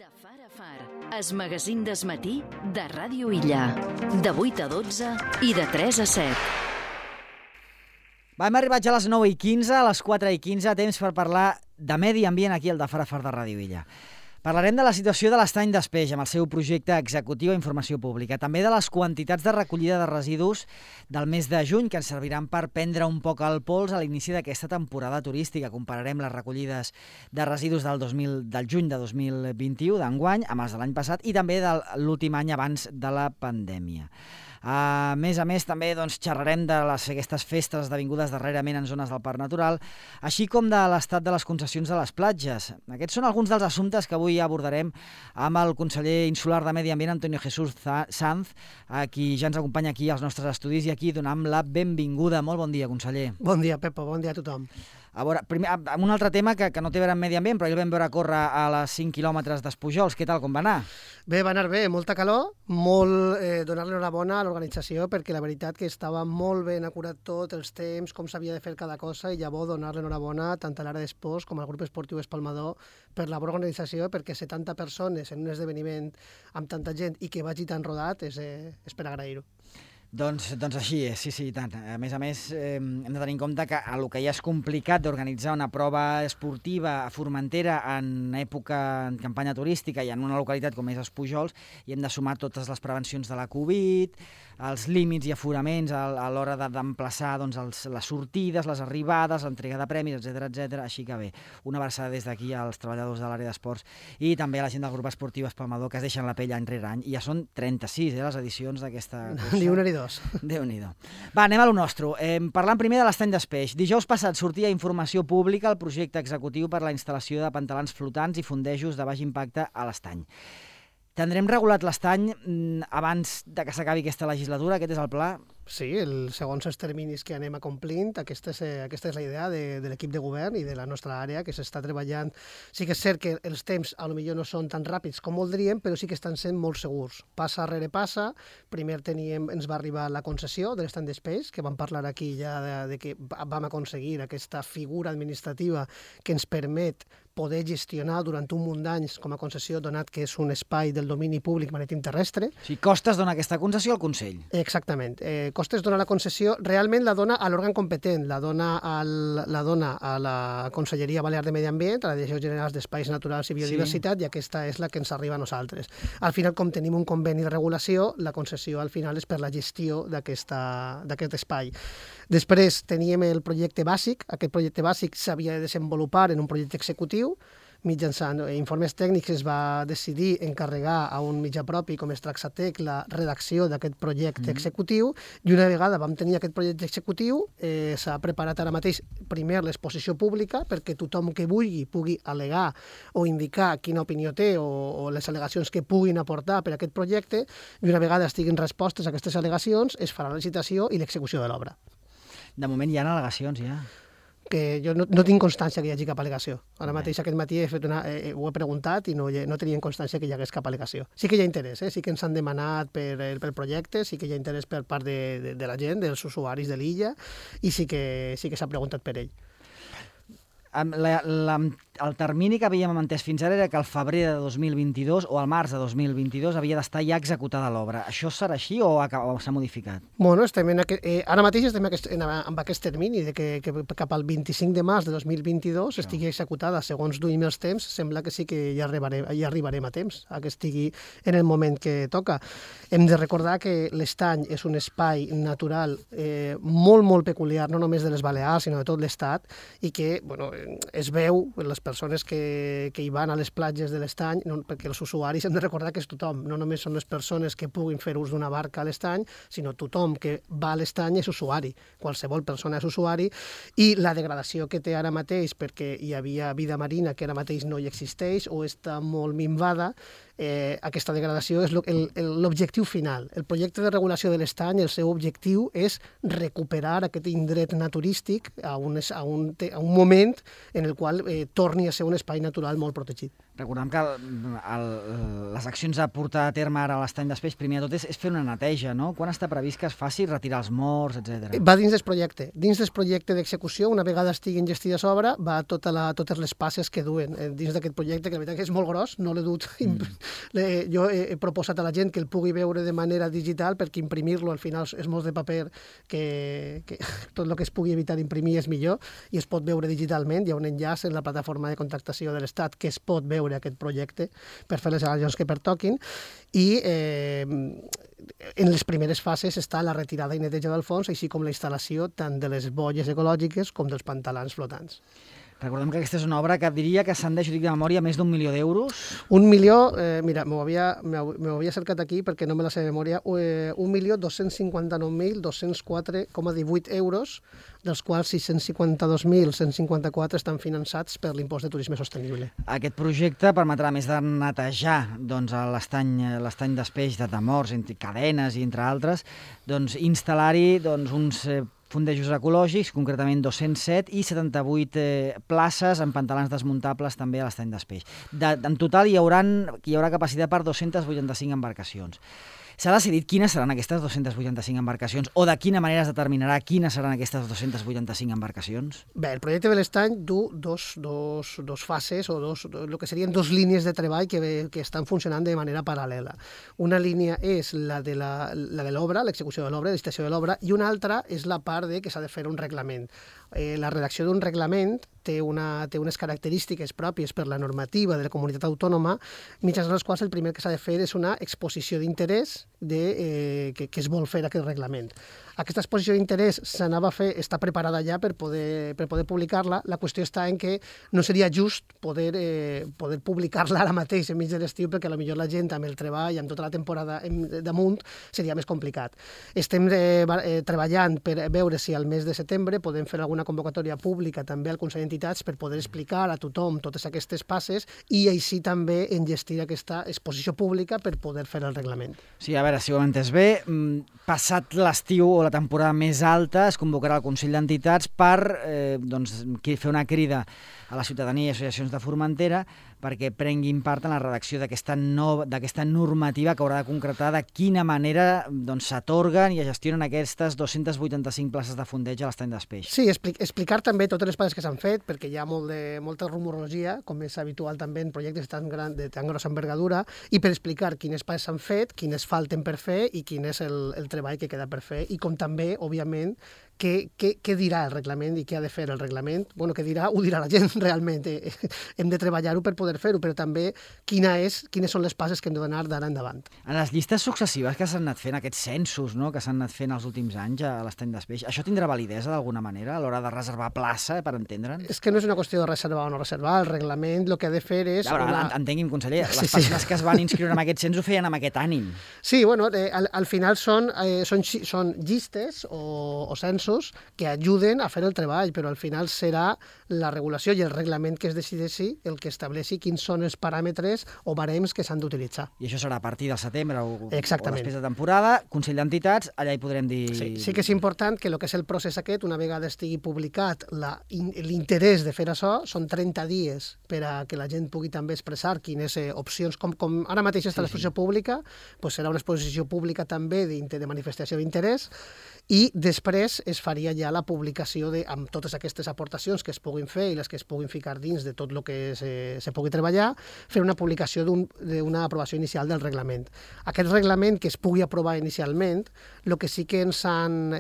De far a far, es magazín d'esmatí de Ràdio Illa. De 8 a 12 i de 3 a 7. Hem arribat ja a les 9:15, a les 4:15, temps per parlar de medi ambient aquí al de far a far de Ràdio Illa. Parlarem de la situació de l'Estany d'Espeix amb el seu projecte executiu a informació pública, també de les quantitats de recollida de residus del mes de juny que ens serviran per prendre un poc el pols a l'inici d'aquesta temporada turística. Compararem les recollides de residus del juny de 2021, d'enguany, amb els de l'any passat i també de l'últim any abans de la pandèmia. A més, també xerrarem de aquestes festes esdevingudes darrerament en zones del Parc Natural, així com de l'estat de les concessions de les platges. Aquests són alguns dels assumptes que avui abordarem amb el conseller insular de Medi Ambient, Antonio Jesús Sanz, a qui ja ens acompanya aquí als nostres estudis i aquí donem la benvinguda. Molt bon dia, conseller. Bon dia, Pepo, bon dia a tothom. A veure, primer, amb un altre tema que no té a veure amb Medi Ambient, però ahir el vam veure córrer a les 5 quilòmetres d'Espujols. Què tal, com va anar? Bé, va anar bé, molta calor, donar-li enhorabona a l'organització perquè la veritat que estava molt ben acurat tot, els temps, com s'havia de fer cada cosa i llavors donar-li enhorabona tant a l'àrea d'esports com al grup esportiu Espalmador per la bona organització, perquè 70 persones en un esdeveniment amb tanta gent i que vagi tan rodat és per agrair-ho. Doncs així és, sí, i tant. A més, hem de tenir en compte que el que ja és complicat d'organitzar una prova esportiva a Formentera en campanya turística i en una localitat com és Espujols, i hem de sumar totes les prevencions de la Covid, els límits i aforaments a l'hora d'emplaçar les sortides, les arribades, l'entrega de premis, etc. Així que bé, una abraçada des d'aquí als treballadors de l'àrea d'esports i també a la gent del grup esportiu Espalmador que es deixen la pell any rere any. I ja són 36 les edicions d'aquesta cursa. Ni una ni dos. Déu-n'hi-do. Va, anem a lo nostre. Parlant primer de l'Estany d'Espeix. Dijous passat sortia a informació pública el projecte executiu per la instal·lació de pantalans flotants i fondejos de baix impacte a l'Estany. Tindrem regulat l'Estany abans de que s'acabi aquesta legislatura? Aquest és el pla? Sí, segons els terminis que anem acomplint, aquesta és la idea de l'equip de govern i de la nostra àrea, que s'està treballant. Sí que és cert que els temps potser no són tan ràpids com voldríem, però sí que estan sent molt segurs. Passa rere passa. Primer ens va arribar la concessió de l'Estany d'Espeix, que vam parlar aquí ja de que vam aconseguir aquesta figura administrativa que ens permet poder gestionar durant un munt d'anys com a concessió, donat que és un espai del domini públic marítim terrestre. Sí, Costes dona aquesta concessió al Consell. Exactament. Costes dona la concessió, realment la dona a l'òrgan competent, la dona a la Conselleria Balear de Medi Ambient, a la Direcció General d'Espais Naturals i Biodiversitat, i aquesta és la que ens arriba a nosaltres. Al final, com tenim un conveni de regulació, la concessió al final és per la gestió d'aquest espai. Després teníem el projecte bàsic. Aquest projecte bàsic s'havia de desenvolupar en un projecte executiu. Mitjançant informes tècnics es va decidir encarregar a un mitjà propi com és Traxatec la redacció d'aquest projecte executiu, i una vegada vam tenir aquest projecte executiu s'ha preparat ara mateix primer l'exposició pública perquè tothom que vulgui pugui al·legar o indicar quina opinió té o les al·legacions que puguin aportar per a aquest projecte, i una vegada estiguin respostes a aquestes al·legacions es farà la licitació i l'execució de l'obra. De moment hi ha al·legacions, ja. Que jo no tinc constància que hi hagi cap al·legació. Ara mateix aquest matí ho he preguntat i no tenien constància que hi hagués cap al·legació. Sí que hi ha interès, sí que ens han demanat pel projecte, sí que hi ha interès per part de la gent, dels usuaris de l'illa, i sí que s'ha preguntat per ell. El termini que havíem entès fins ara era que al febrer de 2022 o al març de 2022 havia d'estar ja executada l'obra. Això serà així o s'ha modificat? Bueno, ara mateix estem amb aquest termini de que cap al 25 de març de 2022 estigui executada. Segons duim els temps, sembla que sí que ja arribarem a temps, a que estigui en el moment que toca. Hem de recordar que l'Estany és un espai natural molt, molt peculiar, no només de les Balears, sinó de tot l'Estat, i que es veu les persones que hi van a les platges de l'Estany, perquè els usuaris hem de recordar que és tothom, no només són les persones que puguin fer ús d'una barca a l'Estany, sinó tothom que va a l'Estany és usuari, qualsevol persona és usuari, i la degradació que té ara mateix perquè hi havia vida marina que ara mateix no hi existeix o està molt minvada, aquesta degradació és l'objectiu final. El projecte de regulació de l'Estany, el seu objectiu és recuperar aquest indret naturístic a un moment en el qual torni a ser un espai natural molt protegit. Recordem que les accions a portar a terme ara a l'estany d'Espeix, primer de tot, és fer una neteja, no? Quan està previst que es faci retirar els morts, etc. Va dins del projecte. Dins del projecte d'execució, una vegada estiguin gestides obra, va totes les passes que duen dins d'aquest projecte, que la veritat que és molt gros, no l'he dut. Jo he proposat a la gent que el pugui veure de manera digital, perquè imprimir-lo al final és molt de paper, que tot el que es pugui evitar d'imprimir és millor, i es pot veure digitalment. Hi ha un enllaç en la plataforma de contractació de l'Estat que es pot veure aquest projecte per fer les al·legacions que pertoquin, i en les primeres fases està la retirada i neteja del fons, així com la instal·lació tant de les boies ecològiques com dels pantalans flotants. Recordem que aquesta és una obra que diria que ascendeix, dic de memòria, més d'1 milió d'euros. 1 milió, mira, m'ho havia cercat aquí perquè no me la sé de memòria, 1.259.204,18 euros, dels quals 652.154 estan finançats per l'impost de turisme sostenible. Aquest projecte permetrà, més de netejar l'estany d'Espeix de morts, entre cadenes i entre altres, instal·lar-hi uns fondejos ecològics, concretament 207, i 78 places amb pantalans desmuntables també a l'estany d'Espeix. En total hi haurà capacitat per 285 embarcacions. S'ha decidit quines seran aquestes 285 embarcacions o de quina manera es determinarà quines seran aquestes 285 embarcacions? Bé, el projecte de l'estany du dos fases o el que serien dos línies de treball que estan funcionant de manera paral·lela. Una línia és la de l'obra, l'execució de l'obra, l'estació de l'obra, i una altra és la part que s'ha de fer un reglament. La redacció d'un reglament té unes característiques pròpies per la normativa de la comunitat autònoma, mitjançant les quals el primer que s'ha de fer és una exposició d'interès que es vol fer aquest reglament. Aquesta exposició d'interès s'anava a fer, està preparada ja per poder publicar-la. La qüestió està en que no seria just poder publicar-la ara mateix enmig de l'estiu, perquè potser la gent amb el treball, amb tota la temporada damunt, seria més complicat. Estem treballant per veure si al mes de setembre podem fer alguna convocatòria pública també al Consell d'Entitats per poder explicar a tothom totes aquestes passes i així també enllestir aquesta exposició pública per poder fer el reglament. Sí, a veure, si ho hem entès bé, passat l'estiu o la temporada més alta es convocarà el Consell d'Entitats per fer una crida a la ciutadania i associacions de Formentera perquè prenguin part en la redacció d'aquesta normativa que haurà de concretar de quina manera s'atorguen i es gestionen aquestes 285 places de fondeig a l'estany d'Espeix. Sí, explicar també totes les passes que s'han fet, perquè hi ha molta rumorologia, com és habitual també en projectes de tan grossa envergadura, i per explicar quines passes s'han fet, quines falten per fer i quin és el treball que queda per fer, i com també, òbviament, què dirà el reglament i què ha de fer el reglament. Bueno, què dirà, ho dirà la gent realment. Hem de treballar-ho per poder fer-ho, però també quines són les passes que hem de donar d'ara endavant. En les llistes successives que s'han anat fent, aquests censos que s'han anat fent els últims anys a l'estany d'Espeix, això tindrà validesa d'alguna manera a l'hora de reservar plaça, per entendre'ns? És que no és una qüestió de reservar o no reservar. El reglament el que ha de fer és... Entengui'm, conseller, les persones que es van inscriure en aquest cens ho feien amb aquest ànim. Sí, bueno, al final són llistes o censos que ajuden a fer el treball, però al final serà la regulació i el reglament que es decideixi el que estableixi quins són els paràmetres o barems que s'han d'utilitzar. I això serà a partir del setembre o després de temporada, Consell d'Entitats, allà hi podrem dir... Sí que és important que el que és el procés aquest, una vegada estigui publicat l'interès de fer això, són 30 dies per a que la gent pugui també expressar quines opcions, com ara mateix està l'exposició pública, serà una exposició pública també de manifestació d'interès, i després es faria ja la publicació amb totes aquestes aportacions que es puguin fer i les que es puguin ficar dins de tot el que se pugui treballar, fer una publicació d'una aprovació inicial del reglament. Aquest reglament que es pugui aprovar inicialment, el que sí que ens han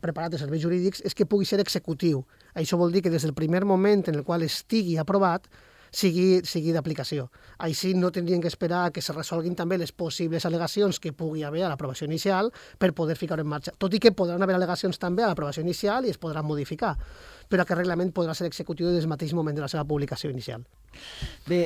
preparat els serveis jurídics és que pugui ser executiu. Això vol dir que des del primer moment en el qual estigui aprovat sigui d'aplicació. Així no tindrien que esperar que se resolguin també les possibles al·legacions que pugui haver a l'aprovació inicial per poder ficar-ho en marxa. Tot i que podran haver al·legacions també a l'aprovació inicial i es podran modificar, però aquest reglament podrà ser executiu des del mateix moment de la seva publicació inicial. Bé,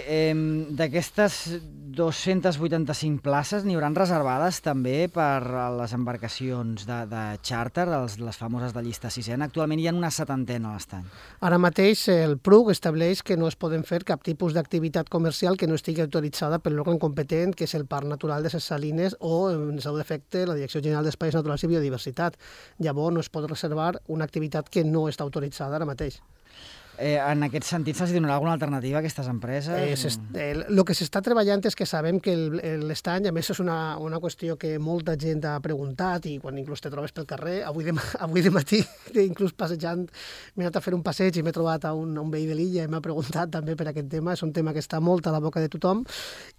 d'aquestes 285 places n'hi hauran reservades també per a les embarcacions de xàrter, les famoses de llista sisena. Actualment hi ha una 70 a l'estany. Ara mateix el PRUC estableix que no es poden fer cap tipus d'activitat comercial que no estigui autoritzada per l'òrgan competent, que és el Parc Natural de Ses Salines o, en seu defecte, la Direcció General d'Espais Naturals i Biodiversitat. Llavors no es pot reservar una activitat que no està autoritzada ara mateix. En aquest sentit, se'ls donarà alguna alternativa a aquestes empreses? El que s'està treballant és que sabem que l'estany, a més és una qüestió que molta gent ha preguntat i quan inclús te trobes pel carrer, avui de matí, inclús passejant, m'he anat a fer un passeig i m'he trobat a un veí de l'illa i m'ha preguntat també per aquest tema, és un tema que està molt a la boca de tothom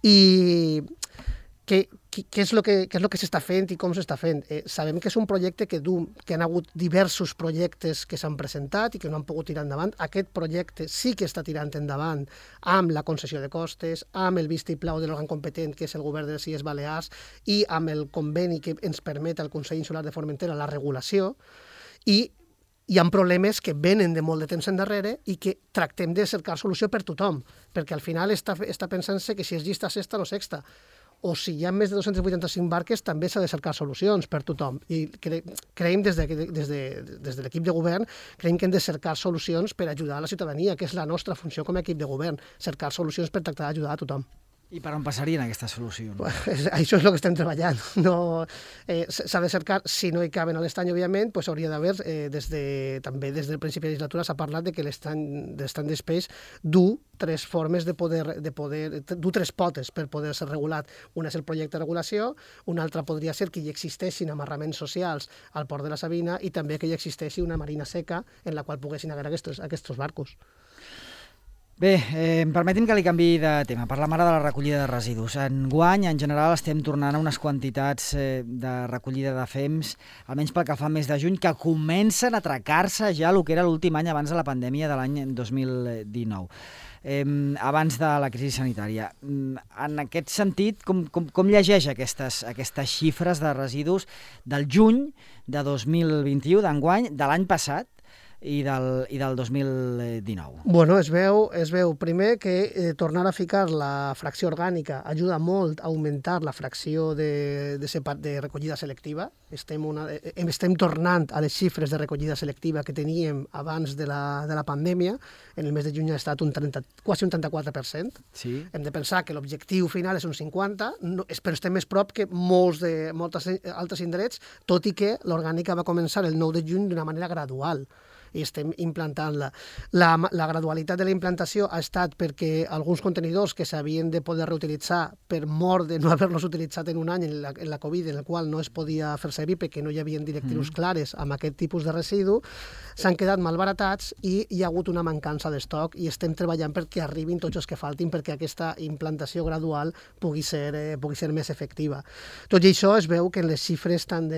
i què és el que s'està fent i com s'està fent. Sabem que és un projecte que han hagut diversos projectes que s'han presentat i que no han pogut tirar endavant. Aquest projecte sí que està tirant endavant amb la concessió de costes, amb el vistiplau de l'òrgan competent, que és el govern de les Illes Balears, i amb el conveni que ens permet al Consell Insular de Formentera la regulació, i hi ha problemes que venen de molt de temps endarrere i que tractem de cercar solució per tothom, perquè al final està pensant-se que si és llista sexta o sexta, o si hi ha més de 285 barques, també s'ha de cercar solucions per tothom. I creiem des de l'equip de govern, creiem que hem de cercar solucions per ajudar a la ciutadania, que és la nostra funció com a equip de govern, cercar solucions per tractar d'ajudar a tothom. I per on passarien aquestes solucions? Això és el que estem treballant. S'ha de cercar, si no hi caben a l'estany, òbviament, hauria d'haver, també des del principi de legislatura s'ha parlat de que l'estany d'espeix du tres formes du tres potes per poder ser regulat. Una és el projecte de regulació, una altra podria ser que hi existeixin amarraments socials al port de la Sabina i també que hi existeixi una marina seca en la qual poguessin haver aquests barcos. Bé, permeti'm que li canviï de tema. Parlem ara de la recollida de residus. Enguany, en general, estem tornant a unes quantitats de recollida de fems, almenys pel que fa al mes de juny, que comencen a atracar-se ja el que era l'últim any abans de la pandèmia de l'any 2019. Abans de la crisi sanitària. En aquest sentit, com llegeix aquestes xifres de residus del juny de 2021, d'enguany, de l'any passat, i del 2019. Bueno, es veu primer que tornar a ficar la fracció orgànica ajuda molt a augmentar la fracció de recollida selectiva. Estem tornant a les xifres de recollida selectiva que teníem abans de la pandèmia. En el mes de juny ha estat quasi un 34%. Sí. Hem de pensar que l'objectiu final és un 50%, però estem més prop que molts altres indrets, tot i que l'orgànica va començar el 9 de juny d'una manera gradual i estem implantant-la. La gradualitat de la implantació ha estat perquè alguns contenidors que s'havien de poder reutilitzar per mort de no haver-los utilitzat en un any en la Covid, en el qual no es podia fer servir perquè no hi havia directrius clares amb aquest tipus de residu, s'han quedat malbaratats i hi ha hagut una mancança d'estoc i estem treballant perquè arribin tots els que faltin perquè aquesta implantació gradual pugui ser més efectiva. Tot i això es veu que les xifres tant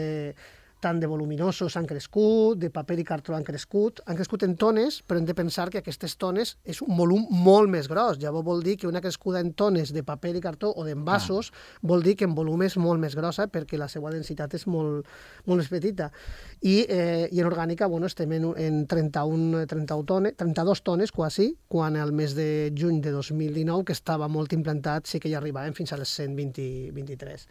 de voluminosos han crescut, de paper i cartró han crescut en tones, però hem de pensar que aquestes tones és un volum molt més gros. Llavors vol dir que una crescuda en tones de paper i cartró o d'envasos vol dir que en volum és molt més grossa perquè la seva densitat és molt més petita. I en orgànica estem en 32 tones quasi, quan al mes de juny de 2019, que estava molt implantat, sí que ja arribàvem fins a les 123.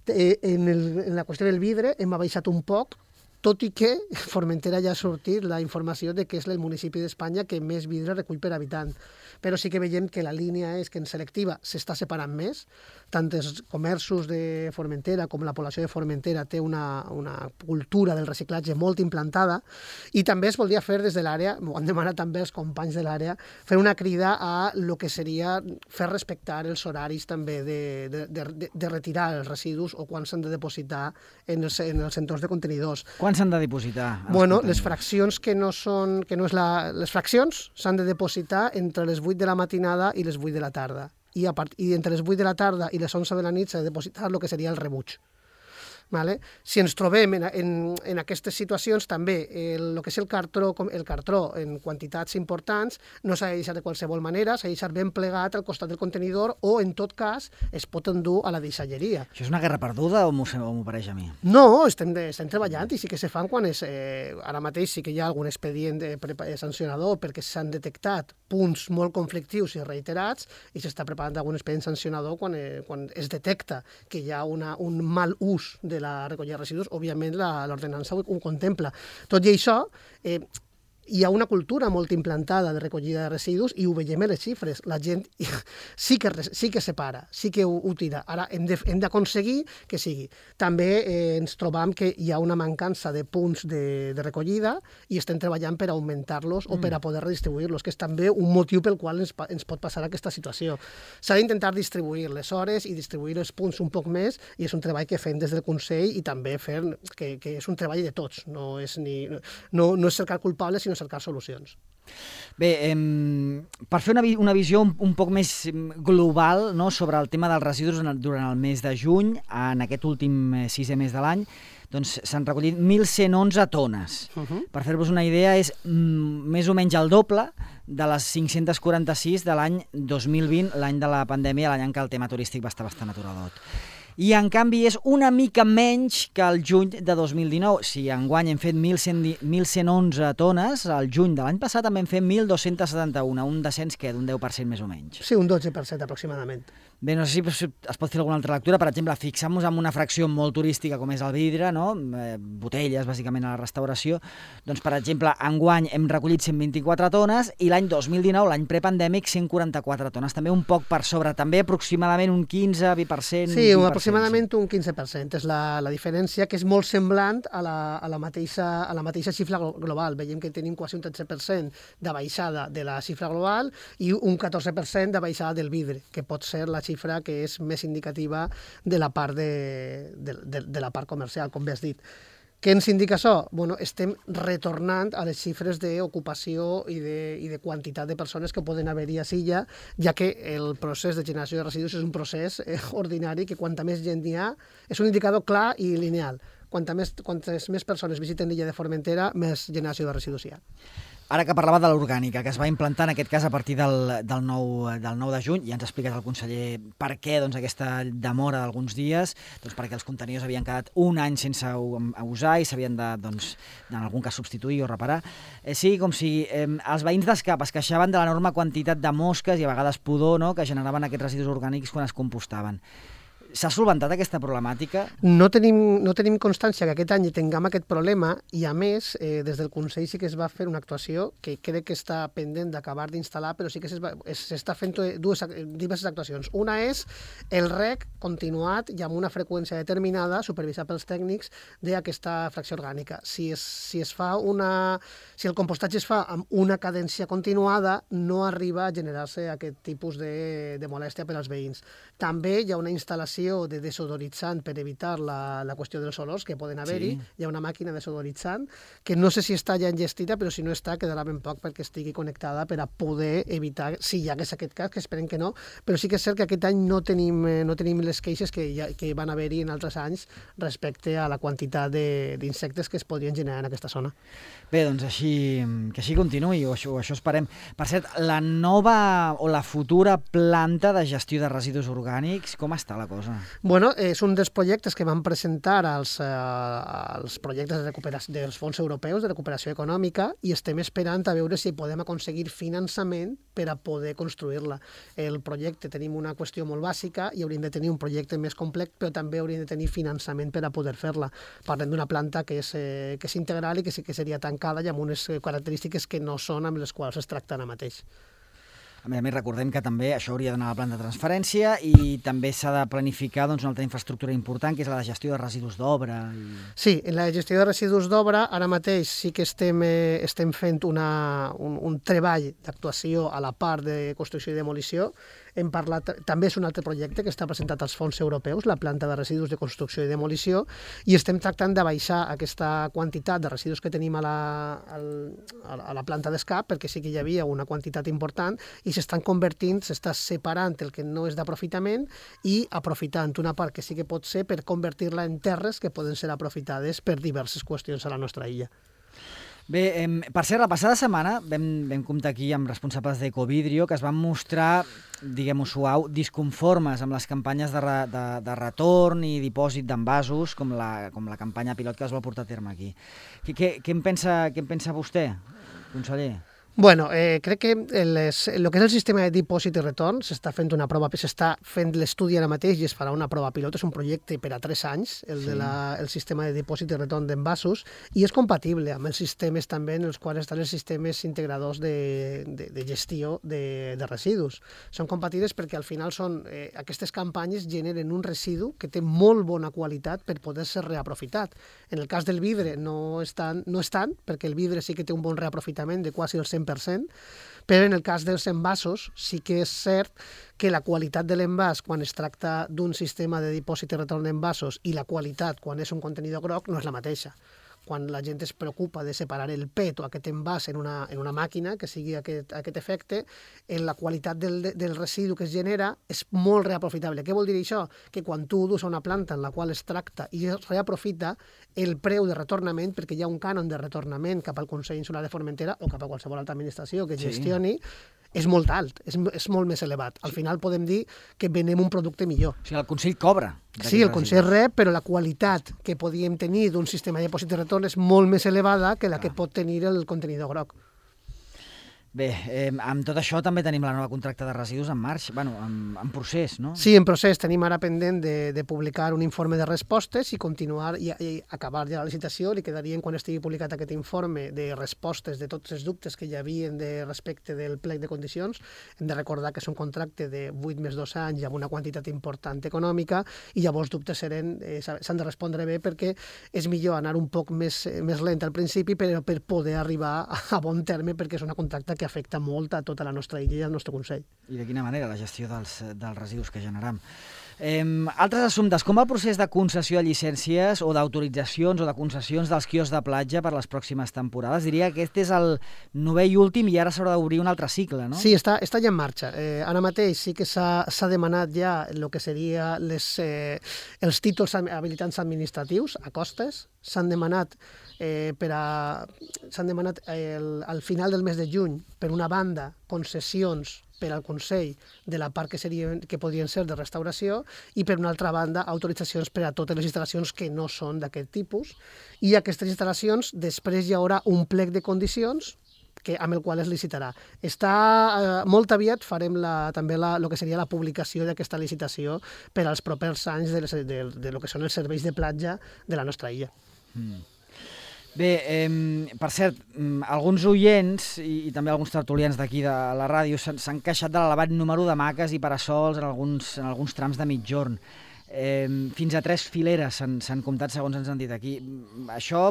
En la qüestió del vidre hem abaixat un poc, tot i que Formentera ja ha sortit la informació de que és el municipi d'Espanya que més vidre recull per habitant. Però sí que veiem que la línia és que en selectiva s'està separant més, tant els comerços de Formentera com la població de Formentera té una cultura del reciclatge molt implantada i també es voldria fer des de l'àrea, ho han demanat també els companys de l'àrea, fer una crida a lo que seria fer respectar els horaris també de retirar els residus o quan s'han de depositar en els entorns de contenidors. Quan s'han de depositar? Bueno, les fraccions les fraccions s'han de depositar entre les 8 de la matinada i les 8 de la tarda. I entre les 8 de la tarda i les 11 de la nit s'ha de depositar el que seria el rebuig. Vale? Si ens trobem en aquestes situacions, també el que és el cartró en quantitats importants no s'ha de deixar de qualsevol manera, s'ha de deixar ben plegat al costat del contenidor o, en tot cas, es pot endur a la deixalleria. Això és una guerra perduda o m'ho pareix a mi? No, estem treballant i sí que se fan quan ara mateix sí que hi ha algun expedient sancionador perquè s'han detectat punts molt conflictius i reiterats i s'està preparant algun expedient sancionador quan es detecta que hi ha un mal ús de la recollida de residus. Òbviament l'ordenança ho contempla. Tot i això, hi ha una cultura molt implantada de recollida de residus i ho veiem en les xifres. La gent sí que separa, sí que ho tira. Ara hem d'aconseguir que sigui. També ens trobam que hi ha una mancança de punts de recollida i estem treballant per augmentar-los o per a poder redistribuir-los, que és també un motiu pel qual ens pot passar aquesta situació. S'ha d'intentar distribuir les hores i distribuir els punts un poc més, i és un treball que fem des del Consell i també fem que és un treball de tots, no és cercar culpables, sinó cercar solucions. Bé, per fer una visió un poc més global, no, sobre el tema dels residus durant el mes de juny, en aquest últim 6è mes de l'any, doncs s'han recollit 1.111 tones. Per fer-vos una idea, és més o menys el doble de les 546 de l'any 2020, l'any de la pandèmia, l'any en què el tema turístic va estar bastant aturadot. I, en canvi, és una mica menys que el juny de 2019. Si enguany hem fet 1.111 tones, al juny de l'any passat també hem fet 1.271, un descens d'un 10% més o menys. Sí, un 12% aproximadament. Bé, no sé si es pot fer alguna altra lectura. Per exemple, fixem-nos en una fracció molt turística com és el vidre, no? Botelles, bàsicament, a la restauració. Doncs, per exemple, enguany hem recollit 124 tones i l'any 2019, l'any prepandèmic, 144 tones. També un poc per sobre, també aproximadament un 15-20%. Sí, aproximadament un 15%. És la diferència, que és molt semblant a la mateixa xifra global. Veiem que tenim quasi un 13% de baixada de la xifra global i un 14% de baixada del vidre, que pot ser la xifra que és més indicativa de la part de la part comercial, com bé has dit. Què ens indica això? Bueno, estem retornant a les xifres d'ocupació i de quantitat de persones que poden haver-hi a Silla, ja que el procés de generació de residus és un procés ordinari que quanta més gent hi ha, és un indicador clar i lineal. Quantes més persones visiten l'illa de Formentera, més generació de residus hi ha. Ara que parlava de l'orgànica, que es va implantar en aquest cas a partir del 9 de juny, ja ens ha explicat el conseller per què aquesta demora d'alguns dies, doncs perquè els contenidors havien quedat un any sense usar i s'havien de, en algun cas, substituir o reparar. Sí, com si els veïns d'Escap es queixaven de l'enorme quantitat de mosques i a vegades pudor, no?, que generaven aquests residus orgànics quan es compostaven. S'ha solventat aquesta problemàtica? No tenim constància que aquest any tinguem aquest problema i, a més, des del Consell sí que es va fer una actuació que crec que està pendent d'acabar d'instal·lar, però sí que s'està fent diverses actuacions. Una és el rec continuat i amb una freqüència determinada, supervisat pels tècnics, d'aquesta fracció orgànica. Si el compostatge es fa amb una cadència continuada, no arriba a generar-se aquest tipus de molèstia per als veïns. També hi ha una instal·lació de desodoritzant per evitar la qüestió dels olors que poden haver-hi. Sí. Hi ha una màquina desodoritzant que no sé si està ja enllestida, però si no està, quedarà ben poc perquè estigui connectada per a poder evitar, si hi hagués aquest cas, que esperem que no, però sí que és cert que aquest any no tenim les queixes que van haver-hi en altres anys respecte a la quantitat d'insectes que es podrien generar en aquesta zona. Bé, doncs que així continuï, o això esperem. Per cert, la nova o la futura planta de gestió de residus orgànics, com està la cosa? Bueno, és un dels projectes que van presentar als projectes dels fons europeus de recuperació econòmica i estem esperant a veure si podem aconseguir finançament per a poder construir-la. El projecte tenim una qüestió molt bàsica i hauríem de tenir un projecte més complex, però també hauríem de tenir finançament per a poder fer-la. Parlem d'una planta que és integral i que sí que seria tancada i amb unes característiques que no són amb les quals es tracta ara mateix. A més, recordem que també això hauria d'anar a la planta de transferència i també s'ha de planificar una altra infraestructura important, que és la de gestió de residus d'obra. Sí, en la gestió de residus d'obra ara mateix sí que estem fent un treball d'actuació a la part de construcció i demolició. Hem parlat, també és un altre projecte que està presentat als fons europeus, la planta de residus de construcció i demolició, i estem tractant de baixar aquesta quantitat de residus que tenim a la planta d'Escap, perquè sí que hi havia una quantitat important, i s'està separant el que no és d'aprofitament i aprofitant una part que sí que pot ser per convertir-la en terres que poden ser aprofitades per diverses qüestions a la nostra illa. Bé, per cert, la passada setmana vam comptar aquí amb responsables d'Ecovidrio que es van mostrar, diguem-ho suau, disconformes amb les campanyes de retorn i dipòsit d'envasos, com la campanya pilot que es va portar a terme aquí. Què en pensa vostè, conseller? Bueno, crec que el que és el sistema de dipòsit i retorn s'està fent l'estudi ara mateix i es farà una prova pilot. És un projecte per a 3 anys, el sistema de dipòsit i retorn d'envasos, i és compatible amb els sistemes també en els quals estan els sistemes integradors de gestió de residus. Són compatibles perquè al final aquestes campanyes generen un residu que té molt bona qualitat per poder ser reaprofitat. En el cas del vidre no és tant, perquè el vidre sí que té un bon reaprofitament de quasi el 100%, però en el cas dels envasos sí que és cert que la qualitat de l'envàs quan es tracta d'un sistema de dipòsit i retorn d'envasos i la qualitat quan és un contenidor groc no és la mateixa. Quan la gent es preocupa de separar el PET o aquest envàs en una màquina que sigui aquest efecte, la qualitat del residu que es genera és molt reaprofitable. Què vol dir això? Que quan tu dus a una planta en la qual es tracta i es reaprofita, el preu de retornament, perquè hi ha un cànon de retornament cap al Consell Insular de Formentera o cap a qualsevol altra administració que gestioni, és molt alt, és molt més elevat. Al final podem dir que venem un producte millor. O sigui, el Consell cobra. Sí, el Consell rep, però la qualitat que podíem tenir d'un sistema de dipòsit i retorn és molt més elevada que la que pot tenir el contenidor groc. Bé, amb tot això també tenim la nova contracta de residus en marxa, en procés, no? Sí, en procés. Tenim ara pendent de publicar un informe de respostes i continuar i acabar ja la licitació. Li quedarien, quan estigui publicat aquest informe de respostes de tots els dubtes que hi havia respecte del plec de condicions. Hem de recordar que és un contracte de 8 més 2 anys amb una quantitat important econòmica i llavors dubtes s'han de respondre bé perquè és millor anar un poc més lent al principi però per poder arribar a bon terme perquè és una contracta que afecta molt a tota la nostra illa i al nostre Consell. I de quina manera la gestió dels residus que generam. Altres assumptes, com va el procés de concessió de llicències o d'autoritzacions o de concessions dels quioscs de platja per les pròximes temporades? Diria que aquest és el 9è i últim i ara s'haurà d'obrir un altre cicle, no? Sí, està ja en marxa. Ara mateix sí que s'ha demanat ja el que seria els títols habilitants administratius a costes. S'han demanat al final del mes de juny, per una banda, concessions per al Consell de la part que podrien ser de restauració i, per una altra banda, autoritzacions per a totes les instal·lacions que no són d'aquest tipus. I aquestes instal·lacions, després hi haurà un plec de condicions amb el qual es licitarà. Molt aviat farem també el que seria la publicació d'aquesta licitació per als propers anys de lo que són els serveis de platja de la nostra illa. Bé, per cert, alguns oients i també alguns tertulians d'aquí de la ràdio s'han queixat de l'elevat número d'hamaques i parasols en alguns trams de mitjorn. Fins a 3 fileres s'han comptat, segons ens han dit aquí. Això,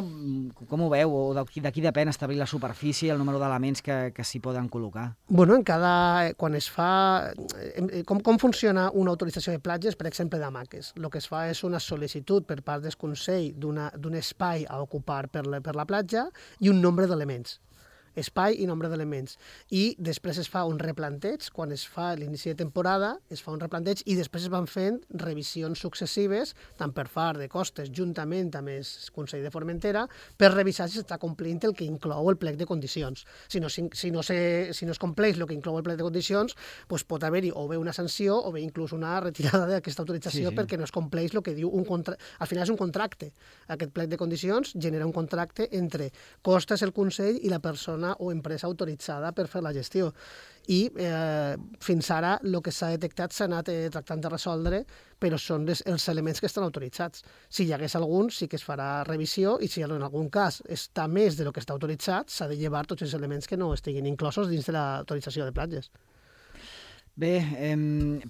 com ho veu? O de qui depèn establir la superfície i el número d'elements que s'hi poden col·locar? Bueno, quan es fa... Com funciona una autorització de platges, per exemple, d'hamaques? El que es fa és una sol·licitud per part del Consell d'un espai a ocupar per la platja i un nombre d'elements. Espai i nombre d'elements. I després es fa un replanteig, quan es fa l'inici de temporada, es fa un replanteig i després es van fent revisions successives, tant per part de costes, juntament amb el Consell de Formentera, per revisar si s'està complint el que inclou el plec de condicions. Si no es compleix el que inclou el plec de condicions, doncs pot haver-hi o bé una sanció o bé inclús una retirada d'aquesta autorització perquè no es compleix el que diu un contracte. Al final és un contracte. Aquest plec de condicions genera un contracte entre costes, el Consell i la persona o empresa autoritzada per fer la gestió. I fins ara el que s'ha detectat s'ha anat tractant de resoldre, però són els elements que estan autoritzats. Si hi hagués algun, sí que es farà revisió i si en algun cas està més del que està autoritzat, s'ha de llevar tots els elements que no estiguin inclosos dins de l'autorització de platges. Bé,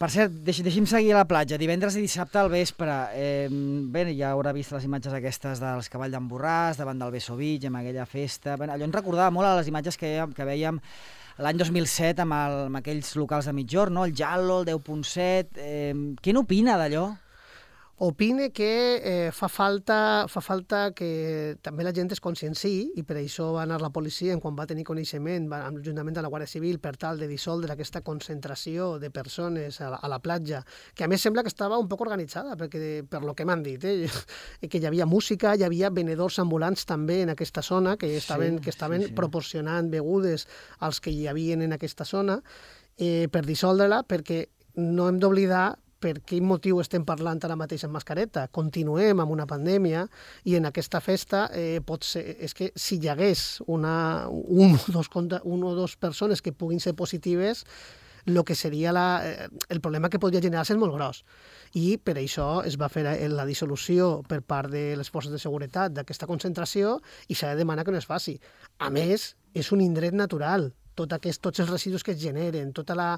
per cert, deixi'm seguir a la platja. Divendres i dissabte al vespre. Bé, ja haurà vist les imatges aquestes dels cavalls d'en Borràs, davant del Beso Beach, amb aquella festa. Bé, allò ens recordava molt a les imatges que vèiem l'any 2007 amb aquells locals de mitjorn, no? El Jallo, el 10.7... Què n'opina d'allò? Opine que fa falta que també la gent es conscienciï i per això va anar la policia quan va tenir coneixement, juntament amb la Guàrdia Civil, per tal de dissoldre aquesta concentració de persones a la platja, que a més sembla que estava un poc organitzada, perquè per lo que m'han dit, que hi havia música, hi havia venedors ambulants també en aquesta zona, que estaven proporcionant begudes als que hi havia en aquesta zona, per dissoldre-la, perquè no hem d'oblidar per quin motiu estem parlant ara mateix amb mascareta. Continuem amb una pandèmia i en aquesta festa pot ser, és que si hi hagués una o dos persones que puguin ser positives, el que seria el problema que podria generar-se és molt gros. I per això es va fer la dissolució per part de les forces de seguretat d'aquesta concentració i s'ha de demanar que no es faci. A més, és un indret natural. Tots els residus que es generen, tota la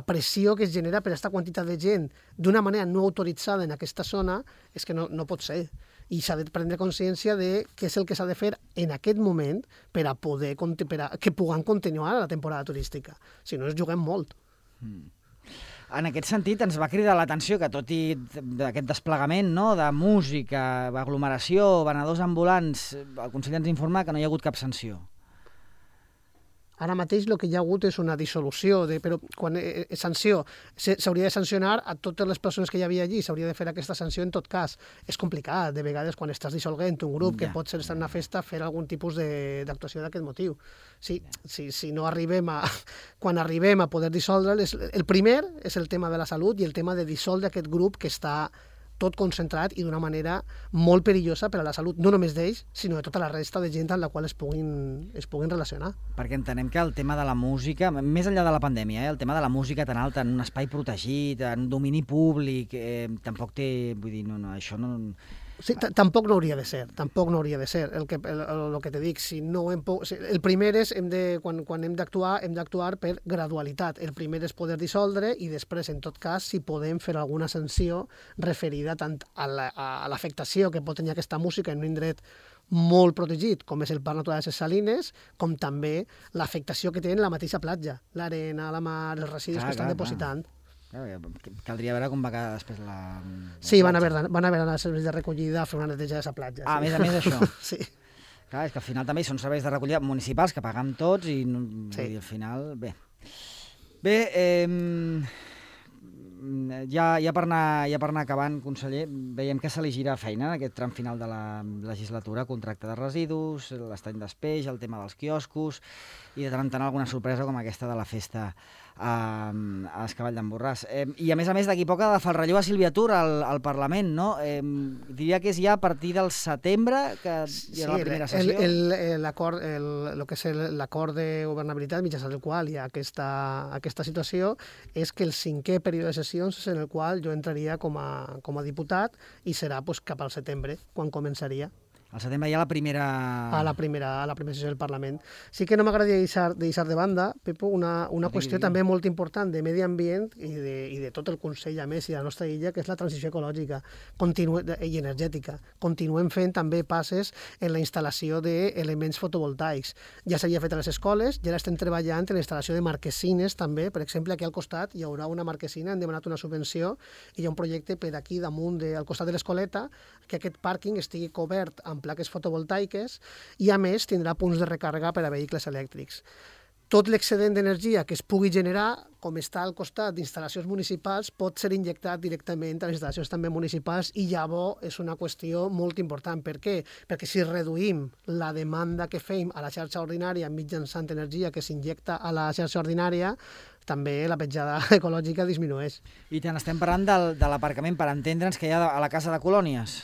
pressió que es genera per aquesta quantitat de gent d'una manera no autoritzada en aquesta zona, és que no pot ser. I s'ha de prendre consciència de què és el que s'ha de fer en aquest moment per a que puguem continuar la temporada turística. Si no, ens juguem molt. En aquest sentit, ens va cridar l'atenció que tot i aquest desplegament de música, aglomeració, venedors ambulants, el conseller ens informa que no hi ha hagut cap sanció. Ara mateix el que hi ha hagut és una dissolució, però quan sanció s'hauria de sancionar a totes les persones que hi havia allí, s'hauria de fer aquesta sanció en tot cas. És complicat, de vegades, quan estàs dissolguent un grup que pot ser estar en una festa, fer algun tipus d'actuació d'aquest motiu. Si no arribem quan arribem a poder dissoldre, el primer és el tema de la salut i el tema de dissoldre aquest grup que està tot concentrat i d'una manera molt perillosa per a la salut, no només d'ells, sinó de tota la resta de gent amb la qual es puguin relacionar. Perquè entenem que el tema de la música, més enllà de la pandèmia, el tema de la música tan alta, en un espai protegit, en domini públic, tampoc té... Vull dir, això no... Sí, tampoc no hauria de ser, El que te dic, el primer és, quan hem d'actuar per gradualitat. El primer és poder dissoldre i després, en tot cas, si podem fer alguna sanció referida tant a l'afectació que pot tenir aquesta música en un indret molt protegit, com és el Parc Natural de les Salines, com també l'afectació que té en la mateixa platja, l'arena, la mar, els residus que estan depositant. Caldria veure com va quedar després la... Sí, van haver d'anar als serveis de recollida a fer una neteja de la platja. A més això. Sí. Clar, és que al final també són serveis de recollida municipals que pagam tots i al final... Bé, ja per anar acabant, conseller, veiem que se li gira feina en aquest tram final de la legislatura, contracte de residus, l'estany d'espeix, el tema dels quioscos i de tant en tant alguna sorpresa com aquesta de la festa a Escavall d'en Borràs. I a més, d'aquí poc ha de fer el relleu a Sílvia Tur al Parlament, no? Diria que és ja a partir del setembre que hi ha la primera sessió. El que és l'acord de governabilitat mitjançant el qual hi ha aquesta situació és que el 5è període de sessions és en el qual jo entraria com a diputat i serà cap al setembre, quan començaria. Al setembre hi ha la primera... A la primera sessió del Parlament. Sí que no m'agradaria deixar de banda, Pepo, una qüestió també molt important de medi ambient i de tot el Consell, a més, i de la nostra illa, que és la transició ecològica i energètica. Continuem fent també passes en la instal·lació d'elements fotovoltaics. Ja s'havia fet a les escoles, ja estem treballant en la instal·lació de marquesines també. Per exemple, aquí al costat hi haurà una marquesina, hem demanat una subvenció i hi ha un projecte per aquí damunt, al costat de l'escoleta, que aquest pàrquing estigui cobert amb plaques fotovoltaiques i, a més, tindrà punts de recàrrega per a vehicles elèctrics. Tot l'excedent d'energia que es pugui generar, com està al costat d'instal·lacions municipals, pot ser injectat directament a les instal·lacions també municipals i llavors és una qüestió molt important. Per què? Perquè si reduïm la demanda que fem a la xarxa ordinària mitjançant energia que s'injecta a la xarxa ordinària, també la petjada ecològica disminueix. I tant, estem parlant de l'aparcament, per entendre'ns, que hi ha a la Casa de Colònies.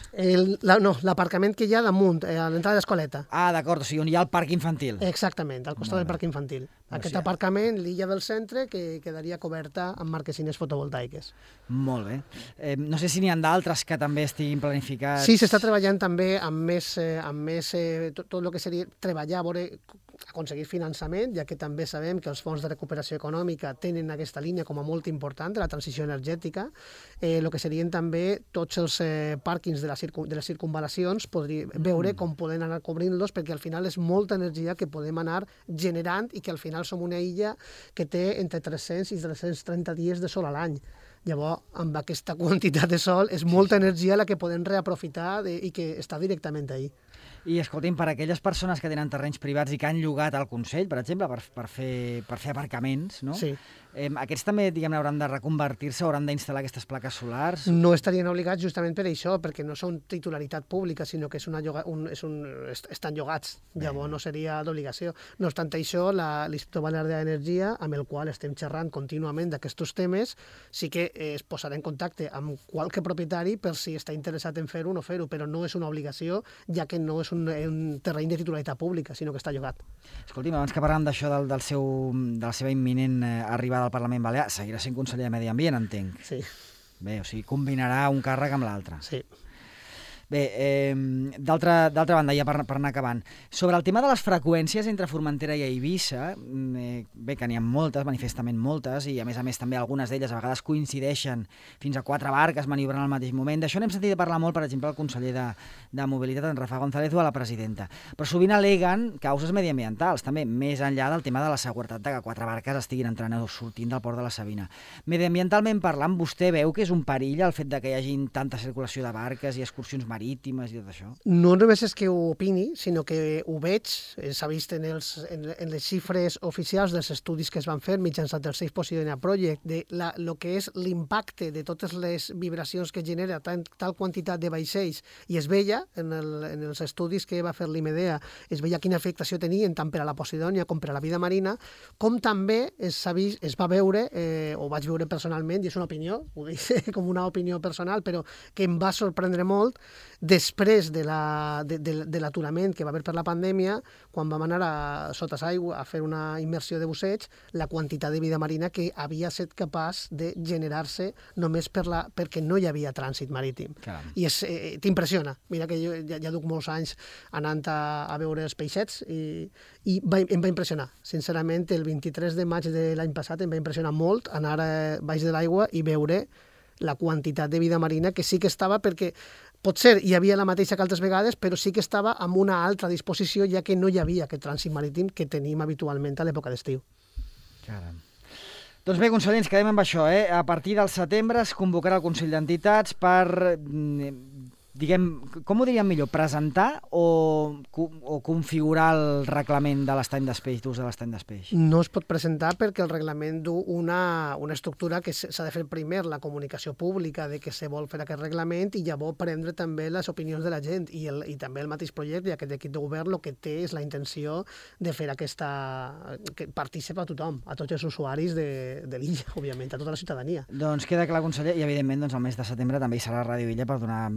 No, l'aparcament que hi ha damunt, a l'entrada d'Escoleta. Ah, d'acord, o sigui, on hi ha el parc infantil. Exactament, al costat del parc infantil. Aquest aparcament, l'illa del centre, que quedaria coberta amb marquesines fotovoltaiques. Molt bé. No sé si n'hi ha d'altres que també estiguin planificats. Sí, s'està treballant també amb més tot el que seria treballar, aconseguir finançament, ja que també sabem que els fons de recuperació econòmica tenen aquesta línia com a molt important de la transició energètica. El que serien també tots els pàrquings de les circunvalacions, veure com poden anar cobrint-los, perquè al final és molta energia que podem anar generant i que al final som una illa que té entre 300 i 330 dies de sol a l'any. Llavors, amb aquesta quantitat de sol, és molta energia la que podem reaprofitar i que està directament ahí. I, escolti'm, per a aquelles persones que tenen terrenys privats i que han llogat al Consell, per exemple, per fer aparcaments, no? Sí. Aquests també, diguem-ne, hauran de reconvertir-se, hauran d'instal·lar aquestes plaques solars? No estarien obligats justament per això, perquè no són titularitat pública, sinó que estan llogats. Llavors no seria d'obligació. No obstant això, l'Institut Balear d'Energia, amb el qual estem xerrant contínuament d'aquests temes, sí que es posarà en contacte amb qualque propietari per si està interessat en fer-ho o no fer-ho, però no és una obligació, ja que no és un terreny de titularitat pública, sinó que està llogat. Escolti'm, abans que parlàvem d'això de la seva imminent arribada al Parlament Balear, seguirà sent conseller de Medi Ambient, entenc. Sí. Bé, o sigui, combinarà un càrrec amb l'altre. Sí. Bé, d'altra banda, ja per anar acabant, sobre el tema de les freqüències entre Formentera i Eivissa, bé, que n'hi ha moltes, manifestament moltes, i a més també algunes d'elles a vegades coincideixen fins a 4 barques maniobrant al mateix moment. D'això n'hem sentit parlar molt, per exemple, el conseller de Mobilitat, en Rafa González, o a la presidenta. Però sovint aleguen causes mediambientals, també, més enllà del tema de la seguretat de que 4 barques estiguin entrant o sortint del port de la Sabina. Mediambientalment parlant, vostè veu que és un perill el fet de que hi hagi tanta circulació de barques i excursions marítimes i tot això? No només és que ho opini, sinó que ho veig, s'ha vist en les xifres oficials dels estudis que es van fer mitjançant el Safe Posidonia Project, de lo que és l'impacte de totes les vibracions que genera tal quantitat de vaixells, i es veia, en els estudis que va fer l'IMEDEA, es veia quina afectació tenien tant per a la Posidonia com per a la vida marina, com també es va veure, o vaig veure personalment, i és una opinió, ho dic com una opinió personal, però que em va sorprendre molt, després de l'aturament que va haver per la pandèmia, quan vam anar sota l'aigua a fer una immersió de busseig, la quantitat de vida marina que havia estat capaç de generar-se només perquè no hi havia trànsit marítim. Caram. I t'impressiona. Mira que jo ja duc molts anys anant a veure els peixets i em va impressionar. Sincerament, el 23 de maig de l'any passat em va impressionar molt anar baix de l'aigua i veure la quantitat de vida marina que sí que estava, perquè potser hi havia la mateixa que altres vegades, però sí que estava amb una altra disposició, ja que no hi havia aquest trànsit marítim que tenim habitualment a l'època d'estiu. Caram. Doncs bé, conseller, ens quedem amb això. A partir del setembre es convocarà el Consell d'Entitats per, diguem, com ho diríem millor, presentar o configurar el reglament de l'estany d'espeix, d'ús de l'estany d'espeix? No es pot presentar perquè el reglament du una estructura que s'ha de fer primer la comunicació pública de que se vol fer aquest reglament i llavors prendre també les opinions de la gent i també el mateix projecte i aquest equip de govern el que té és la intenció de fer que participa a tothom, a tots els usuaris de l'illa, òbviament, a tota la ciutadania. Doncs queda clar, conseller, i evidentment el mes de setembre també hi serà Ràdio Illa per donar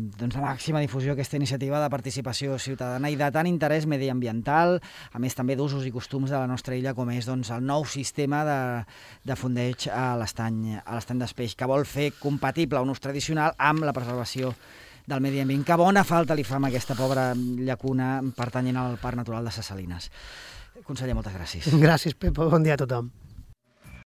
la màxima difusió a aquesta iniciativa de participació ciutadana i de tant interès mediambiental, a més també d'usos i costums de la nostra illa, com és el nou sistema de fondeig a l'estany d'espeix, que vol fer compatible un ús tradicional amb la preservació del medi ambient, que bona falta li fa amb aquesta pobra llacuna pertanyent al Parc Natural de Ses Salines. Conseller, moltes gràcies. Gràcies, Pep. Bon dia a tothom.